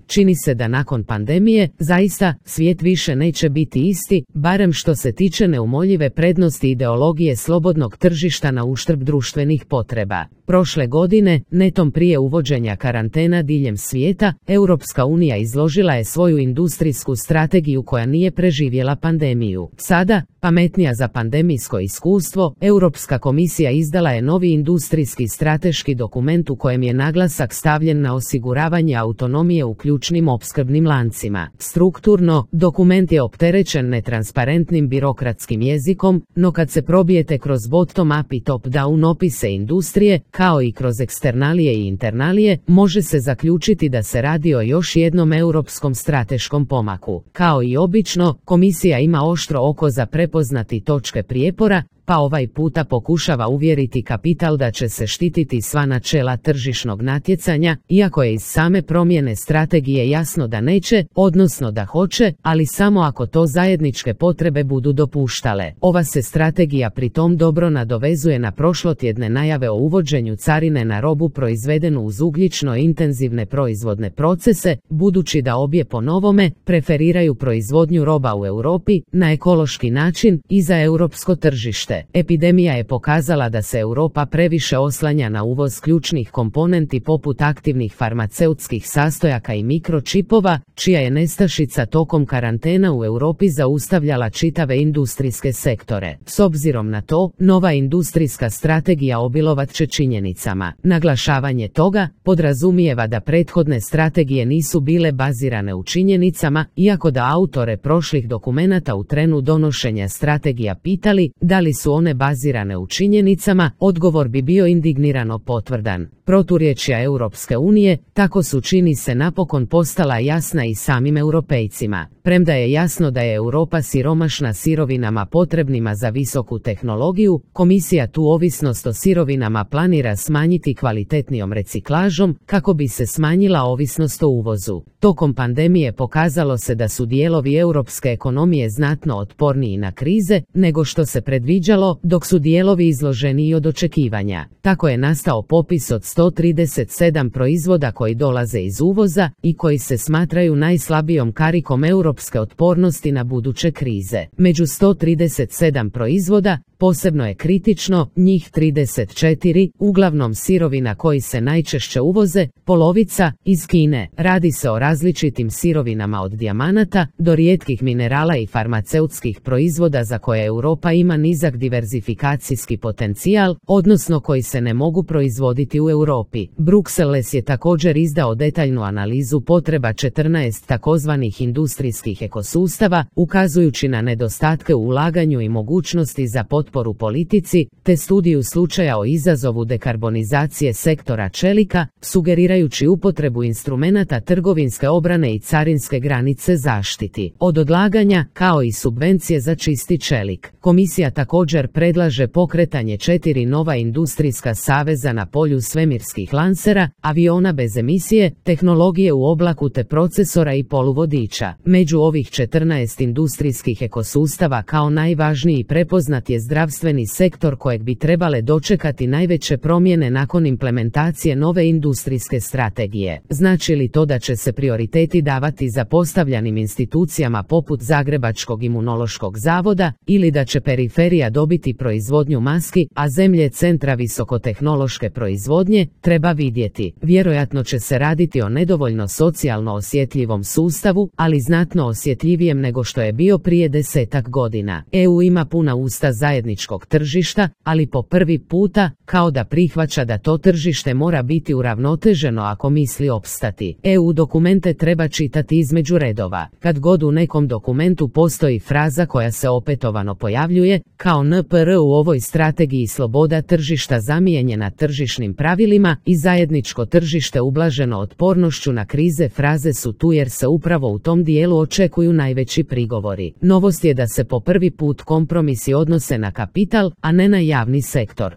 čini se da nakon pandemije, zaista, svijet više neće biti isti, barem što se tiče neumoljive prednosti ideologije slobodnog tržišta na uštrb društvenih potreba. Prošle godine, netom prije uvođenja karantena diljem svijeta, Europska unija izložila je svoju industrijsku strategiju koja nije preživjela pandemiju. Sada, pametnija za pandemijsko iskustvo, Europska komisija izdala je novi industrijski strateški dokument u kojem je naglasak stavljen na osiguravanje autonomije u ključnim opskrbnim lancima. Strukturno, dokument je opterećen netransparentnim birokratskim jezikom, no kad se probijete kroz bottom-up i top-down opise industrije, kao i kroz eksternalije i internalije, može se zaključiti da se radi o još jednom europskom strateškom pomaku. Kao i obično, komisija ima oštro oko za prepoznati točke prijepora, pa ovaj puta pokušava uvjeriti kapital da će se štititi sva načela tržišnog natjecanja, iako je iz same promjene strategije jasno da neće, odnosno da hoće, ali samo ako to zajedničke potrebe budu dopuštale. Ova se strategija pritom dobro nadovezuje na prošlotjedne najave o uvođenju carine na robu proizvedenu uz ugljično intenzivne proizvodne procese, budući da obje po novome preferiraju proizvodnju roba u Europi na ekološki način i za europsko tržište. Epidemija je pokazala da se Europa previše oslanja na uvoz ključnih komponenti poput aktivnih farmaceutskih sastojaka i mikročipova, čija je nestašica tokom karantena u Europi zaustavljala čitave industrijske sektore. S obzirom na to, nova industrijska strategija obilovat će činjenicama. Naglašavanje toga podrazumijeva da prethodne strategije nisu bile bazirane u činjenicama, iako da autore prošlih dokumenata u trenu donošenja strategija pitali da li su one bazirane u činjenicama, odgovor bi bio indignirano potvrdan. Proturječja Europske unije, tako su čini se napokon postala jasna i samim europejcima. Premda je jasno da je Europa siromašna sirovinama potrebnima za visoku tehnologiju, komisija tu ovisnost o sirovinama planira smanjiti kvalitetnijom reciklažom kako bi se smanjila ovisnost o uvozu. Tokom pandemije pokazalo se da su dijelovi europske ekonomije znatno otporniji na krize nego što se predviđalo, dok su dijelovi izloženiji od očekivanja. Tako je nastao popis od 137 proizvoda koji dolaze iz uvoza i koji se smatraju najslabijom karikom europske otpornosti na buduće krize. Među 137 proizvoda, posebno je kritično, njih 34, uglavnom sirovina koji se najčešće uvoze, polovica iz Kine. Radi se o različitim sirovinama od dijamanata do rijetkih minerala i farmaceutskih proizvoda za koje Europa ima nizak diverzifikacijski potencijal, odnosno koji se ne mogu proizvoditi u Europi. Bruxelles je također izdao detaljnu analizu potreba 14 takozvanih industrijskih ekosustava, ukazujući na nedostatke u ulaganju i mogućnosti za potporu politici, te studiju slučaja o izazovu dekarbonizacije sektora čelika, sugerirajući upotrebu instrumenata trgovinske obrane i carinske granice zaštiti od odlaganja, kao i subvencije za čisti čelik. Komisija također predlaže pokretanje 4 nova industrijska saveza na polju svemirskih lansera, aviona bez emisije, tehnologije u oblaku te procesora i poluvodiča. Među ovih 14 industrijskih ekosustava kao najvažniji prepoznat je zdravstveni sektor kojeg bi trebale dočekati najveće promjene nakon implementacije nove industrijske strategije. Znači li to da će se prioriteti davati zapostavljanim institucijama poput Zagrebačkog imunološkog zavoda ili da će periferija dobiti proizvodnju maski, a zemlje centra visokotehnološke proizvodnje, treba vidjeti. Vjerojatno će se raditi o nedovoljno socijalno osjetljivom sustavu, ali znatno osjetljivijem nego što je bio prije 10-ak godina. EU ima puna usta zajedničkog tržišta, ali po prvi puta, kao da prihvaća da to tržište mora biti uravnoteženo ako misli opstati. EU dokumente treba čitati između redova. Kad god u nekom dokumentu postoji fraza koja se opetovano pojavljuje, kao NPR u ovoj strategiji sloboda tržišta zamijenjena tržišnim pravilima i zajedničko tržište ublaženo otpornošću na krize, fraze su tu jer se upravo u tom dijelu očekuju najveći prigovori. Novost je da se po prvi put kompromisi odnose na kapital, a ne na javni sektor.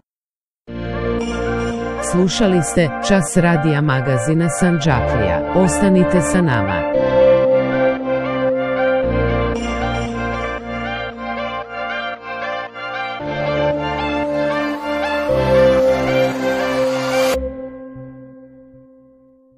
Slušali ste Čas radija magazina Sandžaklija. Ostanite sa nama.